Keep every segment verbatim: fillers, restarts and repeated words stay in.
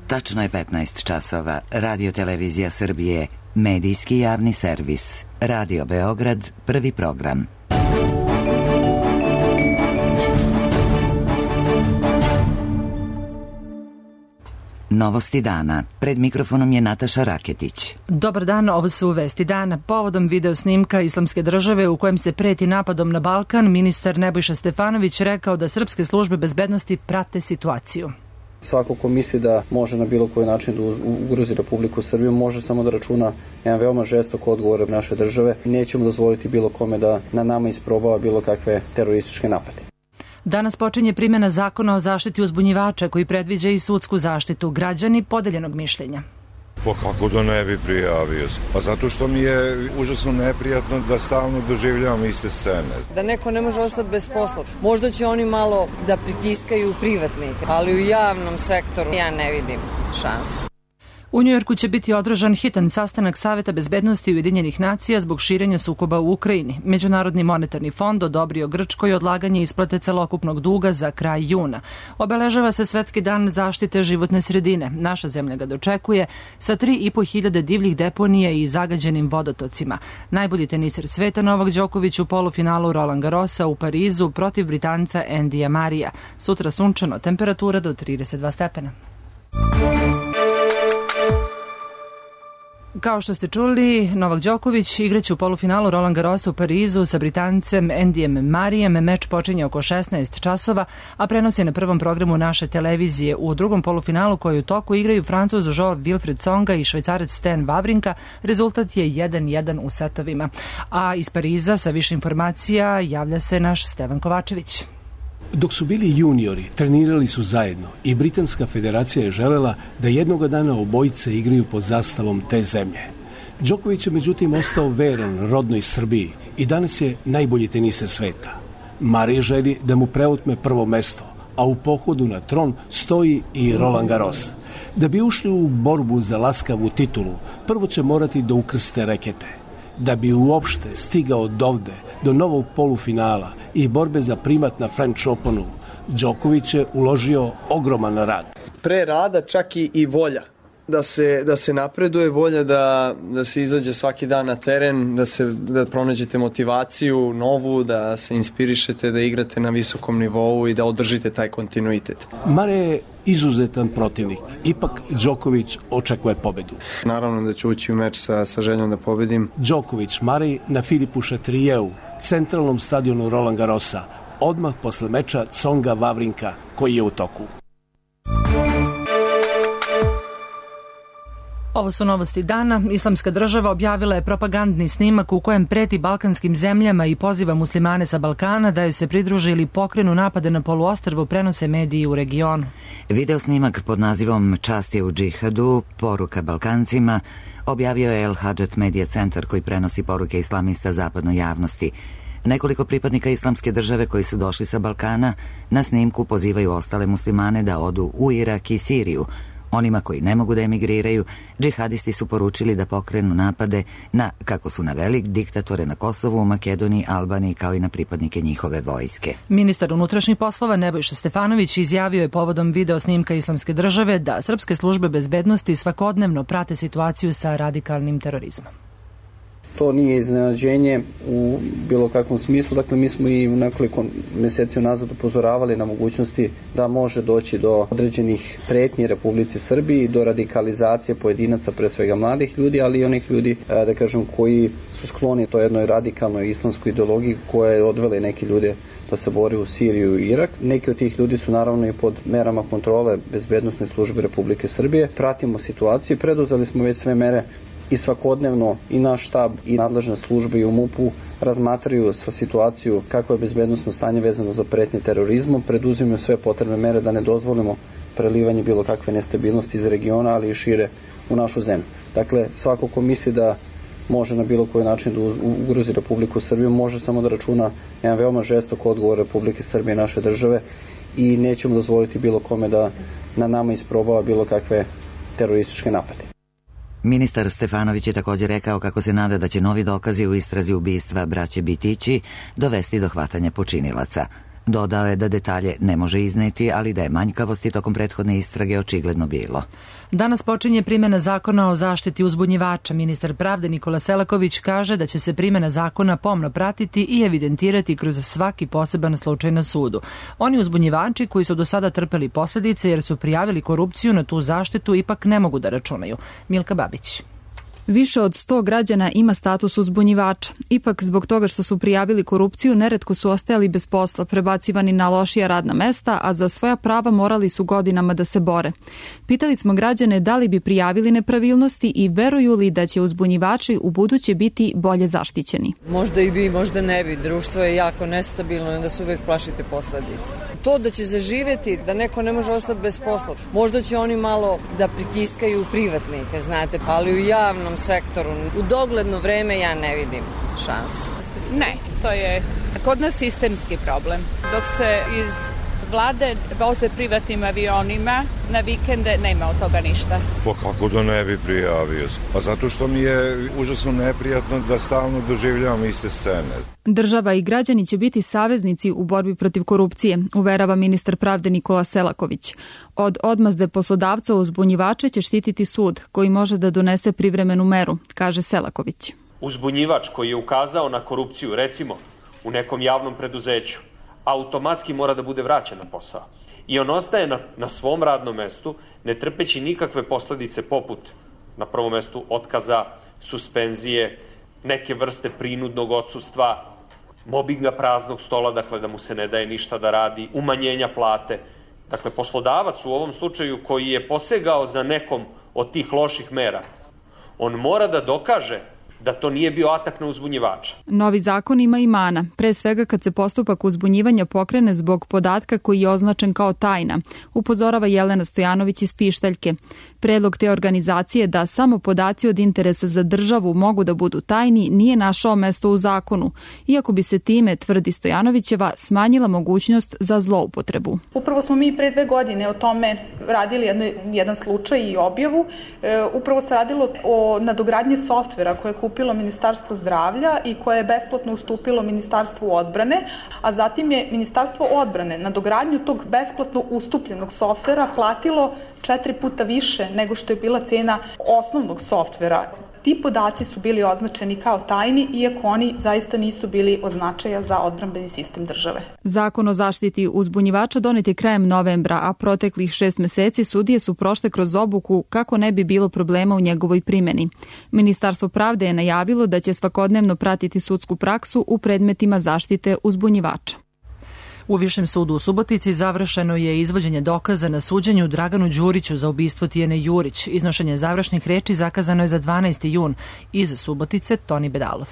Tačno je petnaest časova. Radio Televizija Srbije, medijski javni servis. Radio Beograd, prvi program. Novosti dana. Pred mikrofonom je Nataša Raketić. Dobar dan, ovo su vesti dana. Povodom video snimka Islamske države u kojem se preti napadom na Balkan, ministar Nebojša Stefanović rekao da srpske službe bezbednosti prate situaciju. Svako ko misli da može na bilo koji način da ugrozi Republiku Srbiju može samo da računa jedan veoma žestok odgovor naše države. Nećemo dozvoliti bilo kome da na nama isprobava bilo kakve terorističke napade. Danas počinje primjena zakona o zaštiti uzbunjivača koji predviđa i sudsku zaštitu. Građani podeljenog mišljenja. Pa kako da ne bi prijavio? Pa zato što mi je užasno neprijatno da stalno doživljavam iste scene. Da neko ne može ostati bez posla. Možda će oni malo da pritiskaju privatnike, ali u javnom sektoru ja ne vidim šansu. U Njujorku će biti održan hitan sastanak Saveta bezbednosti Ujedinjenih nacija zbog širenja sukoba u Ukrajini. Međunarodni monetarni fond odobrio Grčkoj odlaganje isplate celokupnog duga za kraj juna. Obeležava se Svetski dan zaštite životne sredine. Naša zemlja ga dočekuje sa tri i po hiljade divljih deponija i zagađenim vodotocima. Najbolji teniser sveta Novak Đoković u polufinalu Roland Garrosa u Parizu protiv Britanca Andyja Murraya. Sutra sunčano, temperatura do trideset dva stepena. Kao što ste čuli, Novak Đoković igraće u polufinalu Roland Garrosa u Parizu sa Britancem Andyjem Murrayem. Meč počinje oko šesnaest časova, a prenos je na prvom programu naše televizije. U drugom polufinalu koji u toku igraju Francuz Jean-Wilfried Tsonga i Švajcarac Stan Wawrinka. Rezultat je jedan jedan u setovima. A iz Pariza sa više informacija javlja se naš Stevan Kovačević. Dok su bili juniori, trenirali su zajedno i Britanska federacija je želela da jednoga dana obojice igraju pod zastavom te zemlje. Đoković je međutim ostao veran rodnoj Srbiji i danas je najbolji teniser sveta. Murray želi da mu preotme prvo mesto, a u pohodu na tron stoji i Roland Garros. Da bi ušli u borbu za laskavu titulu, prvo će morati da ukrste rekete. Da bi uopšte stigao dovde do novog polufinala i borbe za primat na French Openu, Đoković je uložio ogroman rad. Pre rada čak i, i volja da se, da se napreduje, volja da, da se izađe svaki dan na teren, da, se, da pronađete motivaciju novu, da se inspirišete, da igrate na visokom nivou i da održite taj kontinuitet. Mare je izuzetan protivnik, ipak Đoković očekuje pobedu. Naravno da ću ući u meč sa, sa željom da pobedim. Đoković Murray na Filipu Chatrieu, centralnom stadionu Roland Garrosa, odmah posle meča Tsonga Wawrinka koji je u toku. Ovo su novosti dana. Islamska država objavila je propagandni snimak u kojem preti balkanskim zemljama i poziva muslimane sa Balkana da joj se pridruže ili pokrenu napade na poluostrvu, prenose mediji u regionu. Video snimak pod nazivom Čast je u džihadu, poruka Balkancima, objavio je El Hadžet Media Centar koji prenosi poruke islamista zapadnoj javnosti. Nekoliko pripadnika Islamske države koji su došli sa Balkana na snimku pozivaju ostale muslimane da odu u Irak i Siriju. Onima koji ne mogu da emigriraju, džihadisti su poručili da pokrenu napade na, kako su naveli, diktatore na Kosovu, Makedoniji, Albaniji kao i na pripadnike njihove vojske. Ministar unutrašnjih poslova Nebojša Stefanović izjavio je povodom video snimka Islamske države da srpske službe bezbednosti svakodnevno prate situaciju sa radikalnim terorizmom. To nije iznenađenje u bilo kakvom smislu, dakle mi smo i u nekoliko meseci unazad upozoravali na mogućnosti da može doći do određenih pretnji Republici Srbiji, do radikalizacije pojedinaca, pre svega mladih ljudi, ali i onih ljudi, da kažem, koji su skloni to jednoj radikalnoj islamskoj ideologiji koja je odvela neke ljude da se bori u Siriju i Irak. Neki od tih ljudi su naravno i pod merama kontrole bezbednosne službe Republike Srbije. Pratimo situaciju i preduzeli smo već sve mere i svakodnevno i naš štab i nadležne službe i u MUP-u razmatraju sva situaciju kako je bezbednosno stanje vezano za pretnje terorizmom, preduzimaju sve potrebne mere da ne dozvolimo prelivanje bilo kakve nestabilnosti iz regiona, ali i šire u našu zemlju. Dakle, svako ko misli da može na bilo koji način da ugrozi Republiku Srbiju može samo da računa jedan veoma žestok odgovor Republike Srbije i naše države i nećemo dozvoliti bilo kome da na nama isprobava bilo kakve terorističke napade. Ministar Stefanović je također rekao kako se nada da će novi dokazi u istrazi ubistva braće Bitići dovesti do hvatanja počinilaca. Dodao je da detalje ne može izneti, ali da je manjkavosti tokom prethodne istrage očigledno bilo. Danas počinje primjena zakona o zaštiti uzbunjivača. Ministar pravde Nikola Selaković kaže da će se primjena zakona pomno pratiti i evidentirati kroz svaki poseban slučaj na sudu. Oni uzbunjivači koji su do sada trpeli posljedice jer su prijavili korupciju na tu zaštitu ipak ne mogu da računaju. Milka Babić. Više od sto građana ima status uzbunjivača. Ipak, zbog toga što su prijavili korupciju, neretko su ostajali bez posla, prebacivani na lošija radna mesta, a za svoja prava morali su godinama da se bore. Pitali smo građane da li bi prijavili nepravilnosti i veruju li da će uzbunjivači u buduće biti bolje zaštićeni. Možda i bi, možda ne bi. Društvo je jako nestabilno i onda se uvek plašite posledice. To da će zaživeti, da neko ne može ostati bez posla, možda će oni malo da pritiskaju privatnike, znate, ali u javnom sektoru u dogledno vreme ja ne vidim šansu. Ne, to je kod nas sistemski problem. Dok se iz vlade voze privatnim avionima, na vikende nema od toga ništa. Pa kako da ne bi prijavio? Pa zato što mi je užasno neprijatno da stalno doživljavam iste scene. Država i građani će biti saveznici u borbi protiv korupcije, uverava ministar pravde Nikola Selaković. Od odmazde poslodavca uzbunjivača će štititi sud, koji može da donese privremenu meru, kaže Selaković. Uzbunjivač koji je ukazao na korupciju, recimo u nekom javnom preduzeću, automatski mora da bude vraćen na posao. I on ostaje na, na svom radnom mestu, ne trpeći nikakve posledice poput, na prvom mestu, otkaza, suspenzije, neke vrste prinudnog odsustva, mobinga praznog stola, dakle da mu se ne daje ništa da radi, umanjenja plate. Dakle, poslodavac u ovom slučaju koji je posegao za nekom od tih loših mera, on mora da dokaže da to nije bio atak na uzbunjivača. Novi zakon ima i mana, pre svega kad se postupak uzbunjivanja pokrene zbog podatka koji je označen kao tajna, upozorava Jelena Stojanović iz Pištaljke. Predlog te organizacije da samo podaci od interesa za državu mogu da budu tajni nije našao mesto u zakonu, iako bi se time, tvrdi Stojanovićeva, smanjila mogućnost za zloupotrebu. Upravo smo mi pre dve godine o tome radili jedno, jedan slučaj i objavu. E, upravo se radilo o nadogradnji softvera koje je kupilo Ministarstvo zdravlja i koje je besplatno ustupilo Ministarstvu odbrane, a zatim je Ministarstvo odbrane na dogradnju tog besplatno ustupljenog softvera platilo četiri puta više nego što je bila cena osnovnog softvera. Ti podaci su bili označeni kao tajni, iako oni zaista nisu bili od značaja za odbrambeni sistem države. Zakon o zaštiti uzbunjivača donet je krajem novembra, a proteklih šest meseci sudije su prošle kroz obuku kako ne bi bilo problema u njegovoj primjeni. Ministarstvo pravde je najavilo da će svakodnevno pratiti sudsku praksu u predmetima zaštite uzbunjivača. U Višem sudu u Subotici završeno je izvođenje dokaza na suđenju Draganu Đuriću za ubistvo Tijene Jurić. Iznošenje završnih reči zakazano je za dvanaesti jun. Iz Subotice, Toni Bedalov.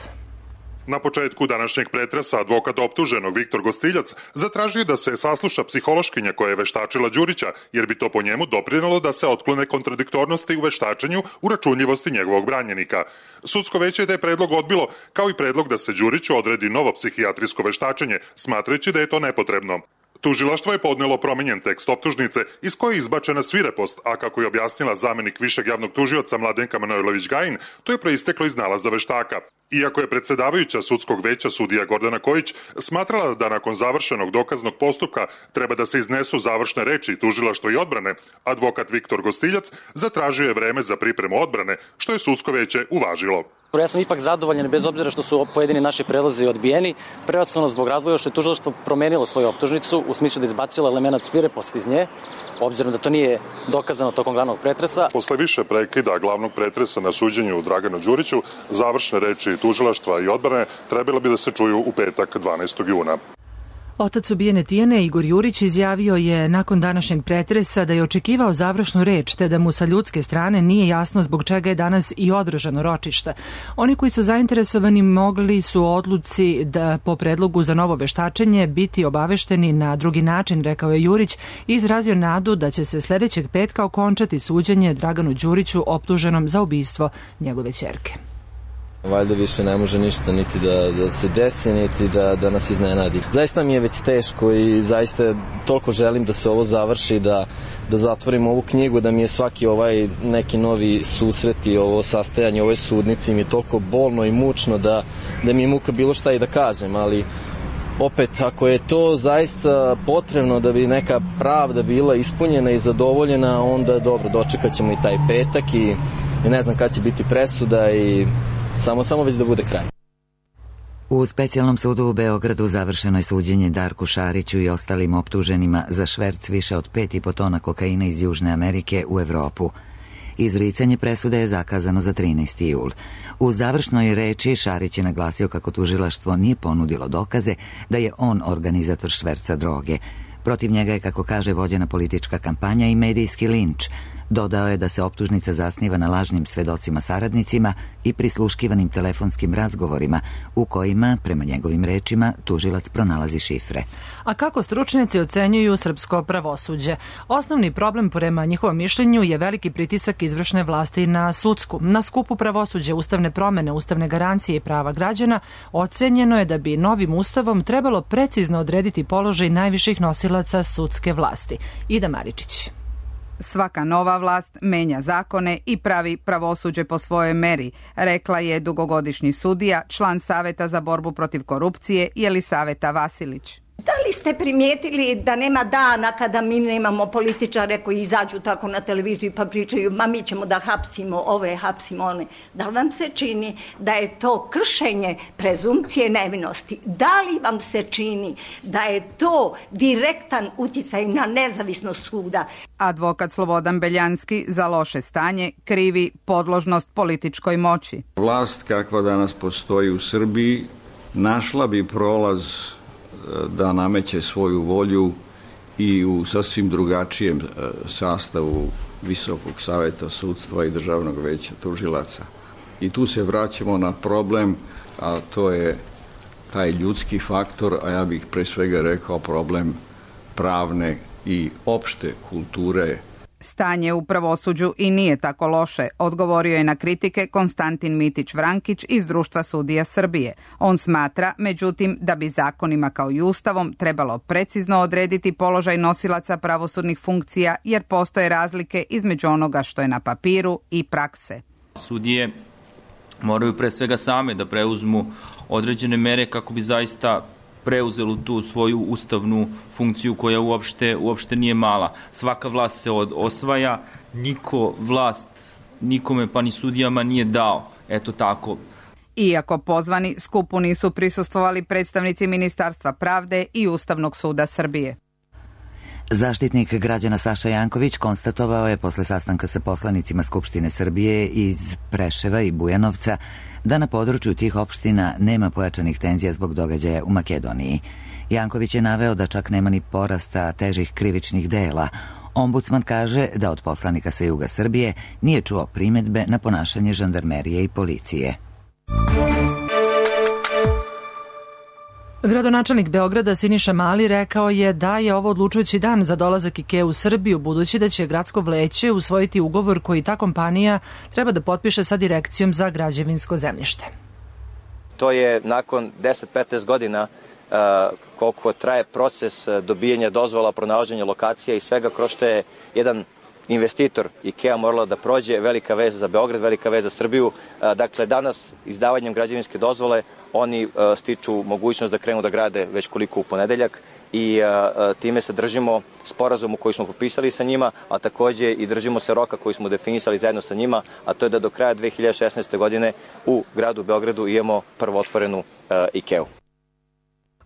Na početku današnjeg pretresa advokat optuženog Viktor Gostiljac zatražio da se sasluša psihološkinja koja je veštačila Đurića, jer bi to po njemu doprinelo da se otklone kontradiktornosti u veštačenju u računljivosti njegovog branjenika. Sudsko veće je da je predlog odbilo, kao i predlog da se Đuriću odredi novo psihijatrijsko veštačenje, smatrajući da je to nepotrebno. Tužilaštvo je podnelo promenjen tekst optužnice iz koje je izbačena svirepost, a kako je objasnila zamenik višeg javnog tužioca Mladenka Manojlović-Gajin, to je proisteklo iz nalaza veštaka. Iako je predsjedavajuća sudskog veća sudija Gordana Kojić smatrala da nakon završenog dokaznog postupka treba da se iznesu završne reči tužilaštva i odbrane, advokat Viktor Gostiljac zatražio je vreme za pripremu odbrane, što je sudsko veće uvažilo. Ja sam ipak zadovoljan, bez obzira što su pojedini naši predlozi odbijeni, prevashodno zbog razloga što je tužilaštvo promenilo svoju optužnicu u smislu da izbacilo elemenat svireposti iz nje, obzirom da to nije dokazano tokom glavnog pretresa. Posle više prekida glavnog pretresa na suđenju Draganu Đuriću, završne reči tužilaštva i odbrane trebalo bi da se čuju u petak dvanaestog juna. Otac ubijene Tijene, Igor Jurić, izjavio je nakon današnjeg pretresa da je očekivao završnu reč, te da mu sa ljudske strane nije jasno zbog čega je danas i održano ročište. Oni koji su zainteresovani mogli su o odluci da po predlogu za novo veštačenje biti obavešteni na drugi način, rekao je Jurić, i izrazio nadu da će se sljedećeg petka okončati suđenje Draganu Đuriću optuženom za ubistvo njegove ćerke. Valjda više ne može ništa niti da, da se desi, niti da, da nas iznenadi. Zaista mi je već teško i zaista toliko želim da se ovo završi, da, da zatvorim ovu knjigu, da mi je svaki ovaj neki novi susret i ovo sastajanje, ovoj sudnici mi je toliko bolno i mučno da, da mi je muka bilo šta i da kažem, ali opet, ako je to zaista potrebno da bi neka pravda bila ispunjena i zadovoljena, onda dobro, dočekat ćemo i taj petak i, i ne znam kad će biti presuda i samo, samo već da bude kraj. U specijalnom sudu u Beogradu završeno je suđenje Darku Šariću i ostalim optuženima za šverc više od pet i po tona kokaina iz Južne Amerike u Evropu. Izricanje presude je zakazano za trinaesti jul. U završnoj reči Šarić je naglasio kako tužilaštvo nije ponudilo dokaze da je on organizator šverca droge. Protiv njega je, kako kaže, vođena politička kampanja i medijski linč. Dodao je da se optužnica zasniva na lažnim svedocima saradnicima i prisluškivanim telefonskim razgovorima u kojima, prema njegovim rečima, tužilac pronalazi šifre. A kako stručnjaci ocenjuju srpsko pravosuđe? Osnovni problem, prema njihovom mišljenju, je veliki pritisak izvršne vlasti na sudsku. Na skupu pravosuđe, ustavne promene, ustavne garancije i prava građana ocenjeno je da bi novim ustavom trebalo precizno odrediti položaj najviših nosilaca sudske vlasti. Ida Maričić. Svaka nova vlast menja zakone i pravi pravosuđe po svojoj meri, rekla je dugogodišnji sudija, član Saveta za borbu protiv korupcije Jelisaveta Vasilić. Da li ste primijetili da nema dana kada mi nemamo političare koji izađu tako na televiziju pa pričaju, ma mi ćemo da hapsimo ove, hapsimo one. Da li vam se čini da je to kršenje prezumcije nevinosti? Da li vam se čini da je to direktan uticaj na nezavisnost suda? Advokat Slobodan Beljanski za loše stanje krivi podložnost političkoj moći. Vlast kakva danas postoji u Srbiji našla bi prolaz da nameće svoju volju i u sasvim drugačijem sastavu Visokog saveta sudstva i Državnog veća tužilaca. I tu se vraćamo na problem, a to je taj ljudski faktor, a ja bih pre svega rekao problem pravne i opšte kulture. Stanje u pravosuđu i nije tako loše, odgovorio je na kritike Konstantin Mitić-Vrankić iz Društva sudija Srbije. On smatra, međutim, da bi zakonima kao i ustavom trebalo precizno odrediti položaj nosilaca pravosudnih funkcija, jer postoje razlike između onoga što je na papiru i prakse. Sudije moraju pre svega same da preuzmu određene mere kako bi zaista preuzelo tu svoju ustavnu funkciju koja uopšte, uopšte nije mala. Svaka vlast se od, osvaja, niko vlast nikome pa ni sudijama nije dao. Eto tako. Iako pozvani, skupu nisu prisustvovali predstavnici Ministarstva pravde i Ustavnog suda Srbije. Zaštitnik građana Saša Janković konstatovao je posle sastanka sa poslanicima Skupštine Srbije iz Preševa i Bujanovca da na području tih opština nema pojačanih tenzija zbog događaja u Makedoniji. Janković je naveo da čak nema ni porasta težih krivičnih dela. Ombudsman kaže da od poslanika sa juga Srbije nije čuo primedbe na ponašanje žandarmerije i policije. Gradonačelnik Beograda Siniša Mali rekao je da je ovo odlučujući dan za dolazak IKEA u Srbiju, budući da će gradsko vleće usvojiti ugovor koji ta kompanija treba da potpiše sa Direkcijom za građevinsko zemljište. To je nakon deset do petnaest godina uh, koliko traje proces dobijanja dozvola, pronalaženja lokacija i svega kroz što je jedan investitor IKEA morala da prođe, velika veza za Beograd, velika veza za Srbiju. Dakle, danas izdavanjem građevinske dozvole oni stiču mogućnost da krenu da grade već koliko u ponedeljak i time se držimo sporazumu koji smo potpisali sa njima, a takođe i držimo se roka koji smo definisali zajedno sa njima, a to je da do kraja dve hiljade šesnaeste. godine u gradu Beogradu imamo prvo otvorenu IKEA-u.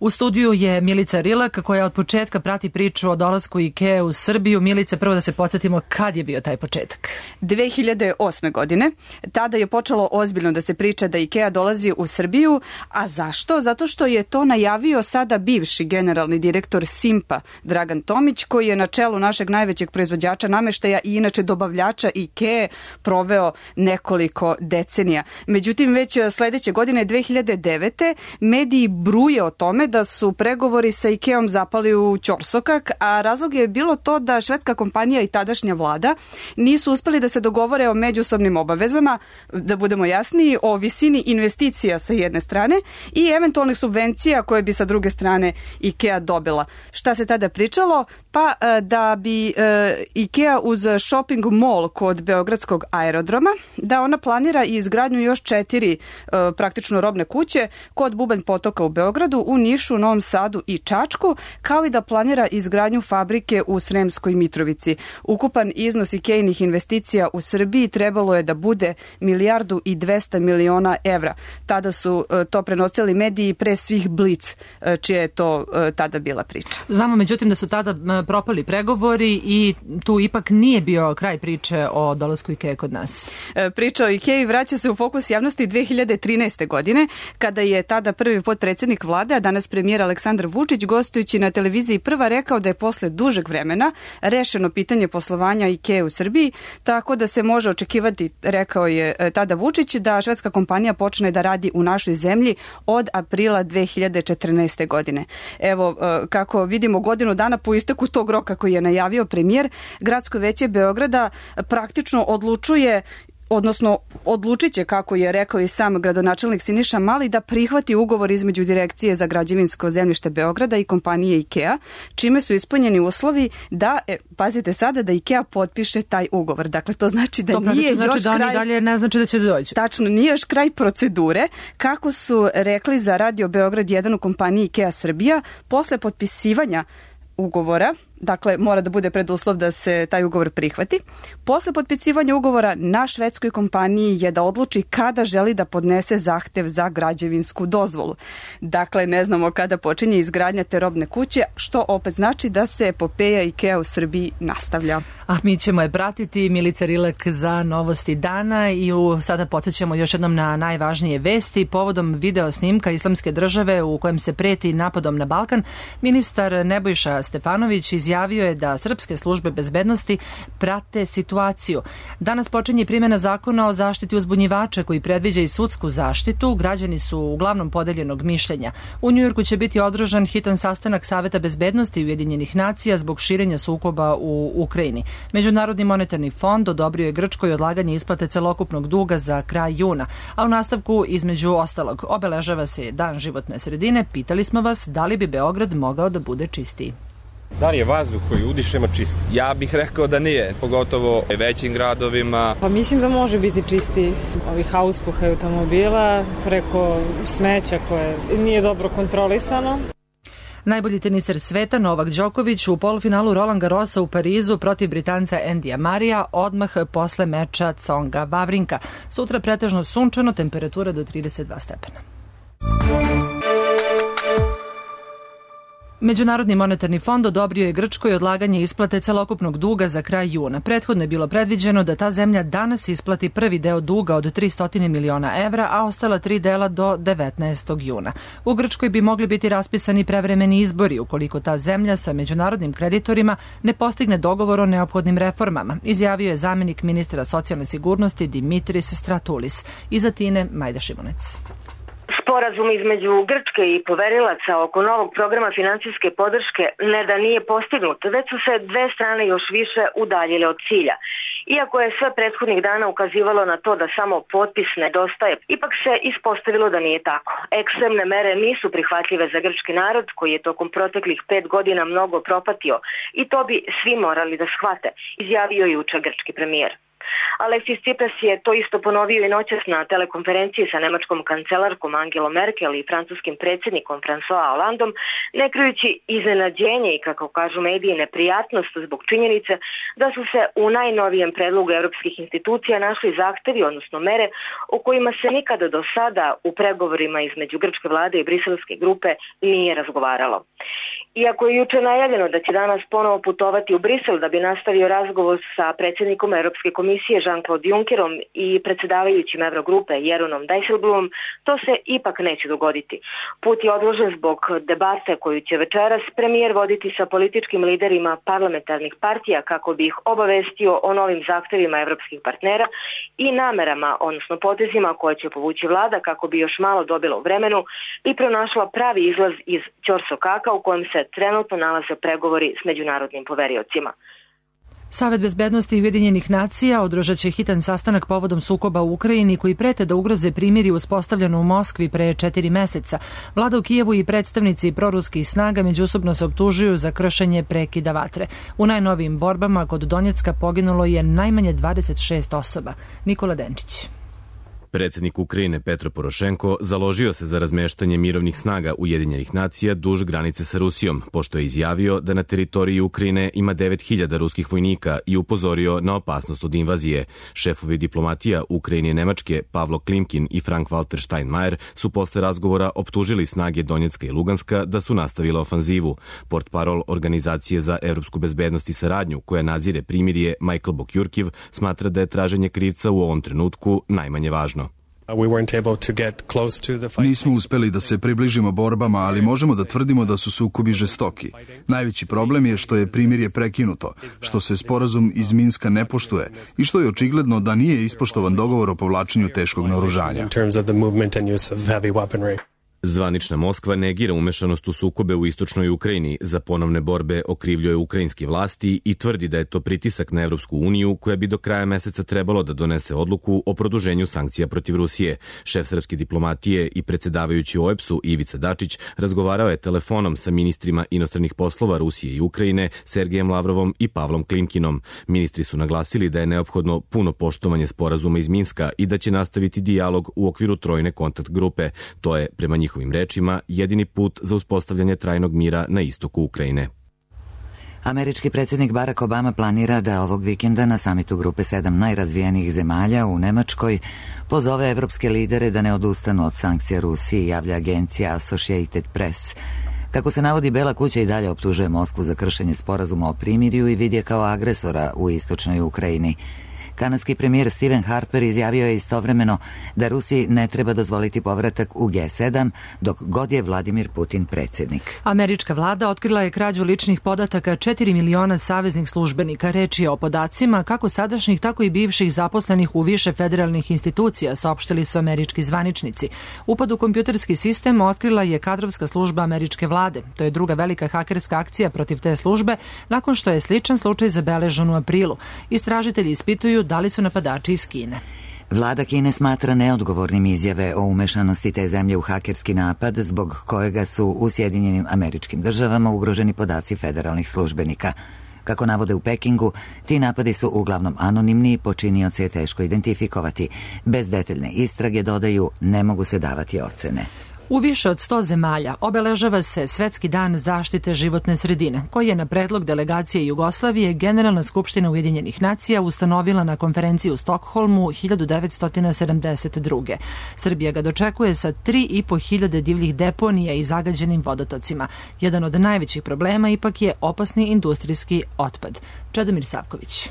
U studiju je Milica Rilak, koja od početka prati priču o dolasku IKEA u Srbiju. Milice, prvo da se podsjetimo kad je bio taj početak. dve hiljade osme. godine. Tada je počelo ozbiljno da se priča da IKEA dolazi u Srbiju. A zašto? Zato što je to najavio sada bivši generalni direktor Simpa, Dragan Tomić, koji je na čelu našeg najvećeg proizvođača nameštaja i inače dobavljača IKEA proveo nekoliko decenija. Međutim, već sledeće godine, dve hiljade devete. mediji bruje o tome da su pregovori sa IKEA-om zapali u ćorsokak, a razlog je bilo to da švedska kompanija i tadašnja vlada nisu uspeli da se dogovore o međusobnim obavezama, da budemo jasniji, o visini investicija sa jedne strane i eventualnih subvencija koje bi sa druge strane IKEA dobila. Šta se tada pričalo? Pa da bi IKEA uz shopping mall kod Beogradskog aerodroma, da ona planira i izgradnju još četiri praktično robne kuće kod Bubanj potoka u Beogradu, u Nišu Nišu, Novom Sadu i Čačku, kao i da planira izgradnju fabrike u Sremskoj Mitrovici. Ukupan iznos IKEA-inih investicija u Srbiji trebalo je da bude milijardu i dvesta miliona evra. Tada su to prenosili mediji pre svih Blic, čija je to tada bila priča. Znamo međutim da su tada propali pregovori i tu ipak nije bio kraj priče o dolasku IKEA kod nas. Priča o IKEA vraća se u fokus javnosti dve hiljade trinaeste. godine, kada je tada prvi potpredsednik vlade, a danas premijer Aleksandar Vučić, gostujući na televiziji Prva, rekao da je posle dužeg vremena rešeno pitanje poslovanja IKEA u Srbiji, tako da se može očekivati, rekao je tada Vučić, da švedska kompanija počne da radi u našoj zemlji od aprila dve hiljade četrnaeste. godine. Evo, kako vidimo, godinu dana po isteku tog roka koji je najavio premijer, Gradsko veće Beograda praktično odlučuje odnosno odlučit će, kako je rekao i sam gradonačelnik Siniša Mali, da prihvati ugovor između Direkcije za građevinsko zemljište Beograda i kompanije IKEA, čime su ispunjeni uslovi da, e, pazite sada, da IKEA potpiše taj ugovor. Dakle, to znači da to nije znači još da kraj... oni dalje ne znači da će doći. Tačno, nije još kraj procedure. Kako su rekli za Radio Beograd jedan u kompaniji IKEA Srbija, posle potpisivanja ugovora, dakle mora da bude preduslov da se taj ugovor prihvati. Posle potpisivanja ugovora na švedskoj kompaniji je da odluči kada želi da podnese zahtev za građevinsku dozvolu. Dakle, ne znamo kada počinje izgradnja te robne kuće, što opet znači da se epopeja IKEA u Srbiji nastavlja. A mi ćemo je pratiti. Milica Rilek za novosti dana i u, sada podsjećamo još jednom na najvažnije vesti. Povodom video snimka Islamske države u kojem se preti napadom na Balkan, ministar Nebojša Stefanović iz Izjavio je da srpske službe bezbednosti prate situaciju. Danas počinje primjena zakona o zaštiti uzbunjivača koji predviđa i sudsku zaštitu. Građani su uglavnom podeljenog mišljenja. U Njujorku će biti održan hitan sastanak Saveta bezbednosti Ujedinjenih nacija zbog širenja sukoba u Ukrajini. Međunarodni monetarni fond odobrio je Grčkoj odlaganje isplate celokupnog duga za kraj juna, a u nastavku, između ostalog, obeležava se Dan životne sredine. Pitali smo vas da li bi Beograd mogao da bude čistiji. Da li je vazduh koji udišemo čist? Ja bih rekao da nije, pogotovo u većim gradovima. Pa mislim da može biti čisti ovih auspuha automobila preko smeća koje nije dobro kontrolisano. Najbolji teniser sveta Novak Đoković u polufinalu Roland Garrosa u Parizu protiv Britanca Endija Marija odmah posle meča Tsonga Vavrinka. Sutra pretežno sunčano, temperatura do trideset dva stepena. Međunarodni monetarni fond odobrio je Grčkoj odlaganje isplate celokupnog duga za kraj juna. Prethodno je bilo predviđeno da ta zemlja danas isplati prvi deo duga od tristo miliona evra, a ostala tri dela do devetnaestog juna. U Grčkoj bi mogli biti raspisani prevremeni izbori ukoliko ta zemlja sa međunarodnim kreditorima ne postigne dogovor o neophodnim reformama, izjavio je zamenik ministra socijalne sigurnosti Dimitris Stratoulis. Iz Atine, Majda Šimunec. Sporazum između Grčke i poverilaca oko novog programa finansijske podrške ne da nije postignut, već su se dve strane još više udaljile od cilja. Iako je sve prethodnih dana ukazivalo na to da samo potpis nedostaje, ipak se ispostavilo da nije tako. Ekstremne mere nisu prihvatljive za grčki narod koji je tokom proteklih pet godina mnogo propatio i to bi svi morali da shvate, izjavio juče grčki premijer. Aleksis Tsipras je to isto ponovio i noćas na telekonferenciji sa nemačkom kancelarkom Angelom Merkel i francuskim predsjednikom François Hollandom, ne krijući iznenađenje i, kako kažu mediji, neprijatnost zbog činjenice da su se u najnovijem predlogu europskih institucija našli zahtevi, odnosno mere, o kojima se nikada do sada u pregovorima između grčke vlade i briselske grupe nije razgovaralo. Iako je juče najavljeno da će danas ponovo putovati u Brisel da bi nastavio razgovor sa predsjednikom Europske komisije Jean-Claude Junckerom i predsjedavajućim Eurogrupe Jeronom Dijsselbloemom, to se ipak neće dogoditi. Put je odložen zbog debate koju će večeras premijer voditi sa političkim liderima parlamentarnih partija kako bi ih obavestio o novim zahtevima evropskih partnera i namerama, odnosno potezima koje će povući vlada kako bi još malo dobila u vremenu i pronašla pravi izlaz iz ćorsokaka u kojem se trenutno nalaze pregovori s međunarodnim poveriocima. Savet bezbednosti Ujedinjenih nacija održat će hitan sastanak povodom sukoba u Ukrajini koji prete da ugroze primirje uspostavljeno u Moskvi pre četiri meseca. Vlada u Kijevu i predstavnici proruskih snaga međusobno se optužuju za kršenje prekida vatre. U najnovijim borbama kod Donjecka poginulo je najmanje dvadeset šest osoba. Nikola Denčić. Predsjednik Ukrajine Petro Porošenko založio se za razmeštanje mirovnih snaga Ujedinjenih nacija duž granice sa Rusijom, pošto je izjavio da na teritoriji Ukrajine ima devet hiljada ruskih vojnika i upozorio na opasnost od invazije. Šefovi diplomatija Ukrajine i Nemačke Pavlo Klimkin i Frank-Walter Steinmeier su posle razgovora optužili snage Donjecka i Luganska da su nastavile ofanzivu. Portparol Organizacije za evropsku bezbednost i saradnju, koja nadzire primirje, Michael Bokjurkiv, smatra da je traženje krivca u ovom trenutku najmanje važno. Nismo uspeli da se približimo borbama, ali možemo da tvrdimo da su sukobi žestoki. Najveći problem je što je primirje prekinuto, što se sporazum iz Minska ne poštuje i što je očigledno da nije ispoštovan dogovor o povlačenju teškog naoružanja. Zvanična Moskva negira umešanost u sukobe u istočnoj Ukrajini, za ponovne borbe okrivljuje ukrajinske vlasti i tvrdi da je to pritisak na Evropsku uniju koja bi do kraja meseca trebalo da donese odluku o produženju sankcija protiv Rusije. Šef srpske diplomatije i predsjedavajući O E B S-u Ivica Dačić razgovarao je telefonom sa ministrima inostranih poslova Rusije i Ukrajine, Sergejem Lavrovom i Pavlom Klimkinom. Ministri su naglasili da je neophodno puno poštovanje sporazuma iz Minska i da će nastaviti dijalog u okviru trojne kontakt grupe. To je, prema njihovim njihovim rečima, jedini put za uspostavljanje trajnog mira na istoku Ukrajine. Američki predsjednik Barack Obama planira da ovog vikenda na samitu grupe sedam najrazvijenijih zemalja u Nemačkoj pozove evropske lidere da ne odustanu od sankcija Rusiji, javlja agencija Associated Press. Kako se navodi, Bela kuća i dalje optužuje Moskvu za kršenje sporazuma o primirju i vidi je kao agresora u istočnoj Ukrajini. Kanadski premijer Stephen Harper izjavio je istovremeno da Rusiji ne treba dozvoliti povratak u G sedam dok god je Vladimir Putin predsjednik. Američka vlada otkrila je krađu ličnih podataka četiri miliona saveznih službenika. Reč je o podacima kako sadašnjih, tako i bivših zaposlenih u više federalnih institucija, saopštili su američki zvaničnici. Upad u kompjuterski sistem otkrila je kadrovska služba američke vlade. To je druga velika hakerska akcija protiv te službe nakon što je sličan slučaj zabeležen u aprilu. Istražitelji ispituju da li su napadači iz Kine. Vlada Kine smatra neodgovornim izjave o umešanosti te zemlje u hakerski napad zbog kojega su u Sjedinjenim Američkim Državama ugroženi podaci federalnih službenika. Kako navode u Pekingu, ti napadi su uglavnom anonimni i počinioce je teško identifikovati. Bez detaljne istrage, dodaju, ne mogu se davati ocene. U više od sto zemalja obeležava se Svetski dan zaštite životne sredine, koji je na predlog delegacije Jugoslavije Generalna skupština Ujedinjenih nacija ustanovila na konferenciji u Stokholmu hiljadu devetsto sedamdeset druge. Srbija ga dočekuje sa tri i po hiljade divljih deponija i zagađenim vodotocima. Jedan od najvećih problema ipak je opasni industrijski otpad. Čedomir Savković.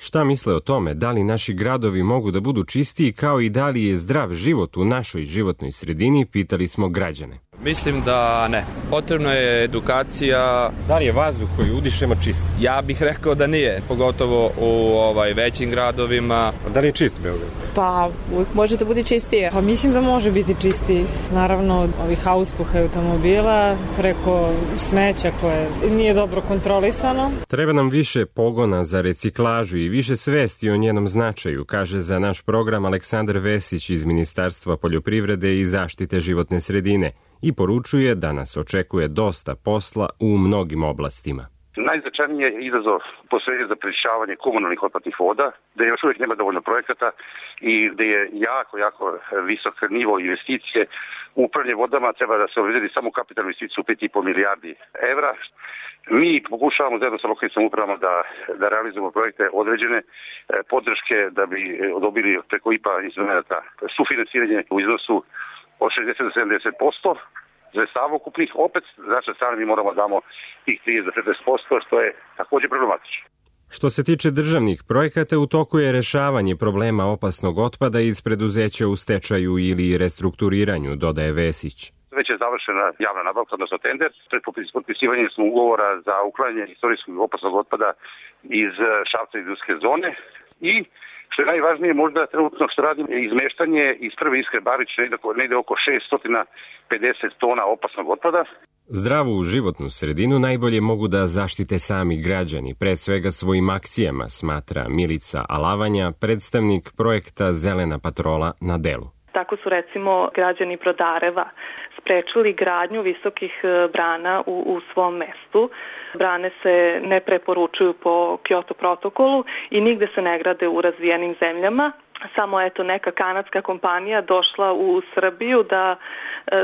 Šta misle o tome, da li naši gradovi mogu da budu čistiji kao i da li je zdrav život u našoj životnoj sredini, pitali smo građane. Mislim da ne. Potrebna je edukacija. Da li je vazduh koji udišemo čist? Ja bih rekao da nije, pogotovo u ovaj, većim gradovima. Da li je čist Beograd? Pa uvijek može da bude čistije. Pa mislim da može biti čistiji. Naravno od ovih auspuha automobila preko smeća koje nije dobro kontrolisano. Treba nam više pogona za reciklažu i više svesti o njenom značaju, kaže za naš program Aleksandar Vesić iz Ministarstva poljoprivrede i zaštite životne sredine. I poručuje da nas očekuje dosta posla u mnogim oblastima. Najznačajniji je izazov posveđen za prečišćavanje komunalnih otpadnih voda, da još uvijek nema dovoljno projekata i da je jako, jako visok nivo investicije. U upravljanje vodama treba da se obezbedi samo kapitalnu investiciju pet i po milijardi evra. Mi pokušavamo zajedno sa lokalnim samoupravama da, da realizujemo projekte određene podrške da bi dobili preko I P A instrumenta sufinansiranje u iznosu od šezdeset do sedamdeset posto sredstava ukupnih. Opet, znači strane mi moramo damo tih trideset do četrdeset posto, što je također problematično. Što se tiče državnih projekata, u toku je rešavanje problema opasnog otpada iz preduzeća u stečaju ili restrukturiranju, dodaje Vesić. Već je završena javna nabavka, odnosno tender. Pred potpisivanjem smo ugovora za uklanjanje istorijskog opasnog otpada iz Šapca i industrijske zone i što je najvažnije možda trenutno što radimo je izmeštanje iz prve Iskre Barić negde oko šeststo pedeset tona opasnog otpada. Zdravu životnu sredinu najbolje mogu da zaštite sami građani, pre svega svojim akcijama, smatra Milica Alavanja, predstavnik projekta Zelena patrola na delu. Tako su recimo građani Brodareva sprečili gradnju visokih brana u, u svom mestu. Brane se ne preporučuju po Kyoto protokolu i nigde se ne grade u razvijenim zemljama, samo eto neka kanadska kompanija došla u Srbiju da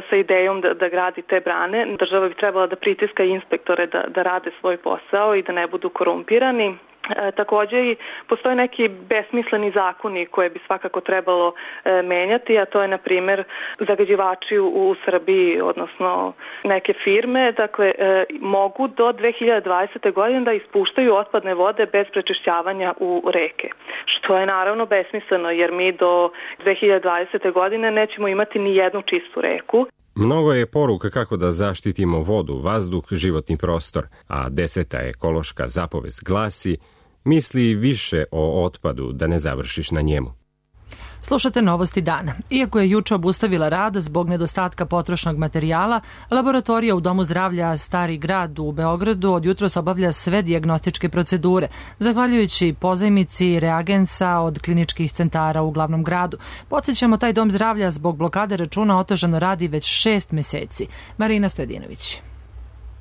sa idejom da, da gradi te brane. Država bi trebala da pritiska inspektore da, da rade svoj posao i da ne budu korumpirani. E, takođe i postoje neki besmisleni zakoni koje bi svakako trebalo e, menjati, a to je na primer zagađivači u, u Srbiji, odnosno neke firme, dakle e, mogu do dve hiljade dvadesete. godine da ispuštaju otpadne vode bez prečišćavanja u reke. Što je naravno besmisleno jer mi do dve hiljade dvadesete. godine nećemo imati ni jednu čistu reku. Mnogo je poruka kako da zaštitimo vodu, vazduh, životni prostor, a deseta ekološka zapovest glasi: misli više o otpadu da ne završiš na njemu. Slušate Novosti dana. Iako je juče obustavila rad zbog nedostatka potrošnog materijala, laboratorija u Domu zdravlja Stari grad u Beogradu od jutros obavlja sve dijagnostičke procedure, zahvaljujući pozajmici reagensa od kliničkih centara u glavnom gradu. Podsjećamo, taj Dom zdravlja zbog blokade računa otežano radi već šest meseci. Marina Stojedinović.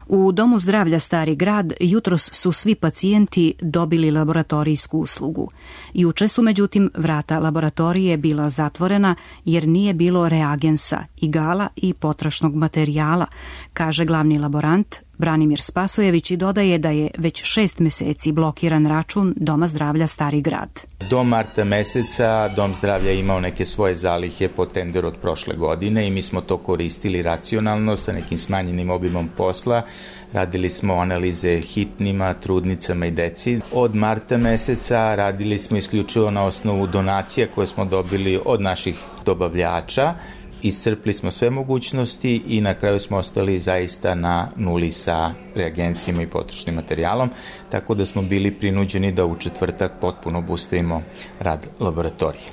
U Domu zdravlja Stari grad jutros su svi pacijenti dobili laboratorijsku uslugu. Juče su međutim vrata laboratorije bila zatvorena jer nije bilo reagensa, igala i potrošnog materijala, kaže glavni laborant Branimir Spasojević i dodaje da je već šest meseci blokiran račun Doma zdravlja Stari grad. Do marta meseca Dom zdravlja imao neke svoje zalihe po tenderu od prošle godine i mi smo to koristili racionalno sa nekim smanjenim obimom posla. Radili smo analize hitnima, trudnicama i deci. Od marta meseca radili smo isključivo na osnovu donacija koje smo dobili od naših dobavljača. Iscrpli smo sve mogućnosti i na kraju smo ostali zaista na nuli sa reagencijama i potrošnim materijalom, tako da smo bili prinuđeni da u četvrtak potpuno obustavimo rad laboratorije.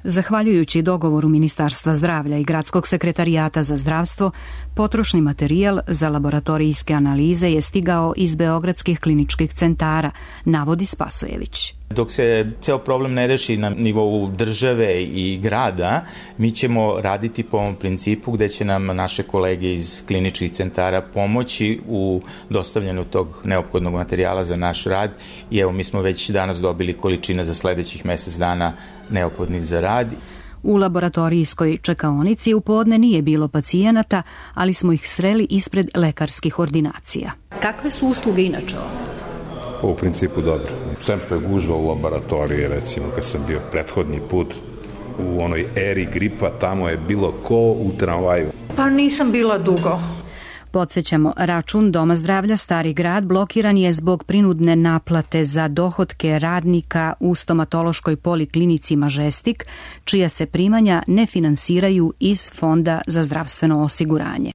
Zahvaljujući dogovoru Ministarstva zdravlja i Gradskog sekretarijata za zdravstvo, potrošni materijal za laboratorijske analize je stigao iz beogradskih kliničkih centara, navodi Spasojević. Dok se ceo problem ne reši na nivou države i grada, mi ćemo raditi po ovom principu gde će nam naše kolege iz kliničkih centara pomoći u dostavljanju tog neophodnog materijala za naš rad i evo mi smo već danas dobili količina za sledećih mesec dana neophodnih za rad. U laboratorijskoj čekaonici u podne nije bilo pacijenata, ali smo ih sreli ispred lekarskih ordinacija. Kakve su usluge inače ovdje? U principu dobro. Sem što je gužva u laboratoriji, recimo kad sam bio prethodni put u onoj eri gripa, tamo je bilo ko u tramvaju. Pa nisam bila dugo. Podsjećamo, račun Doma zdravlja Stari grad blokiran je zbog prinudne naplate za dohotke radnika u stomatološkoj poliklinici Mažestik, čija se primanja ne finansiraju iz Fonda za zdravstveno osiguranje.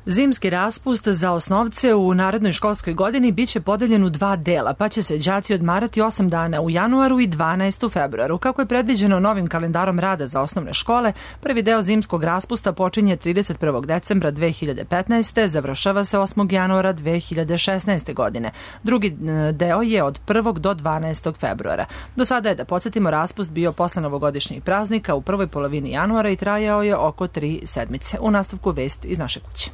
Zimski raspust za osnovce u narednoj školskoj godini biće podeljen u dva dela, pa će se đaci odmarati osam dana u januaru i dvanaest u februaru. Kako je predviđeno novim kalendarom rada za osnovne škole, prvi deo zimskog raspusta počinje trideset prvog decembra dve hiljade petnaeste. završava se osmog januara dve hiljade šesnaeste. godine. Drugi deo je od prvog do dvanaestog februara. Do sada je, da podsjetimo, raspust bio posle novogodišnjih praznika u prvoj polovini januara i trajao je oko tri sedmice. U nastavku vest iz naše kuće.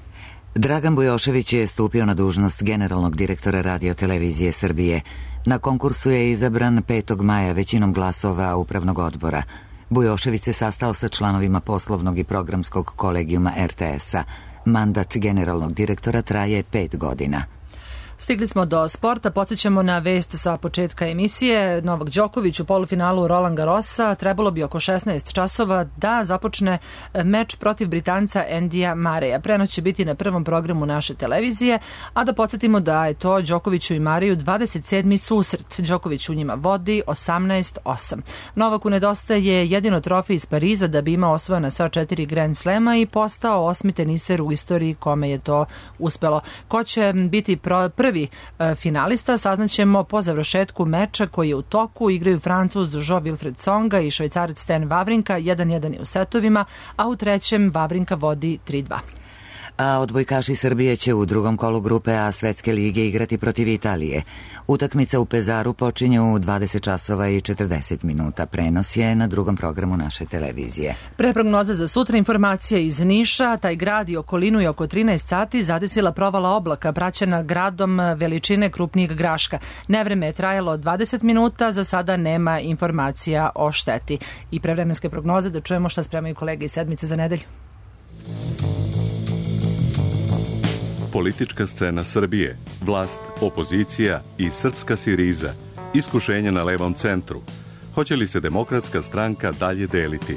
Dragan Bujošević je stupio na dužnost generalnog direktora Radio-televizije Srbije. Na konkursu je izabran petog maja većinom glasova upravnog odbora. Bujošević se sastao sa članovima poslovnog i programskog kolegijuma er te es-a. Mandat generalnog direktora traje pet godina. Stigli smo do sporta, podsjećamo na vest sa početka emisije. Novak Đoković u polufinalu Roland Garrosa trebalo bi oko šesnaest časova da započne meč protiv Britanca Endija Mareja. Prenos će biti na prvom programu naše televizije, a da podsjetimo da je to Đokoviću i Mareju dvadeset sedmi susret. Đoković u njima vodi osamnaest osam. Novaku nedostaje jedino trofej iz Pariza da bi imao osvojena sva četiri Grand Slema i postao osmi teniser u istoriji kome je to uspelo. Ko će biti prvi Prvi finalista saznaćemo po završetku meča koji je u toku. Igraju Francuz Jean-Wilfried Tsonga i Švajcarac Stan Wawrinka, jedan jedan je u setovima, a u trećem Wawrinka vodi tri dva. A odbojkaši Srbije će u drugom kolu grupe A Svetske lige igrati protiv Italije. Utakmica u Pezaru počinje u dvadeset časova i četrdeset minuta. Prenos je na drugom programu naše televizije. Pre prognoze za sutra informacija iz Niša. Taj grad i okolinu je oko trinaest sati zadesila provala oblaka praćena gradom veličine krupnijeg graška. Nevreme je trajalo dvadeset minuta, za sada nema informacija o šteti. I pre vremenske prognoze da čujemo šta spremaju kolege iz Sedmice za nedelju. Politička scena Srbije, vlast, opozicija i srpska siriza, iskušenje na levom centru. Hoće li se Demokratska stranka dalje deliti?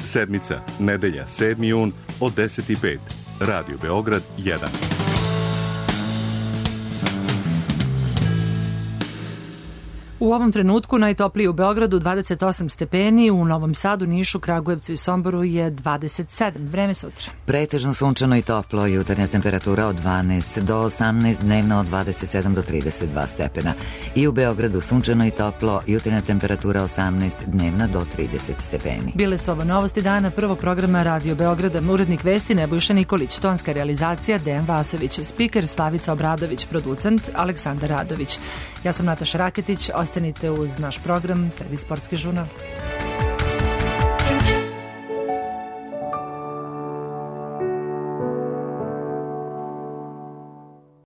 Sedmica, nedelja, sedmi jun od deset i pet. Radio Beograd jedan. U ovom trenutku najtopliji u Beogradu dvadeset osam stepeni, u Novom Sadu, Nišu, Kragujevcu i Somboru je dvadeset sedam. Vreme sutra. Pretežno sunčano i toplo, jutarnja temperatura od dvanaest do osamnaest, dnevna od dvadeset sedam do trideset dva stepena. I u Beogradu sunčano i toplo, jutarnja temperatura osamnaest, dnevna do trideset stepeni. Bile su ovo novosti dana prvog programa Radio Beograda. Urednik vesti Nebojša Nikolić, tonska realizacija Dejan Vasović, spiker Slavica Obradović, producent Aleksandar Radović. Ja sam Nataša Raketić, ostanite uz naš program, sledi sportski žurnal.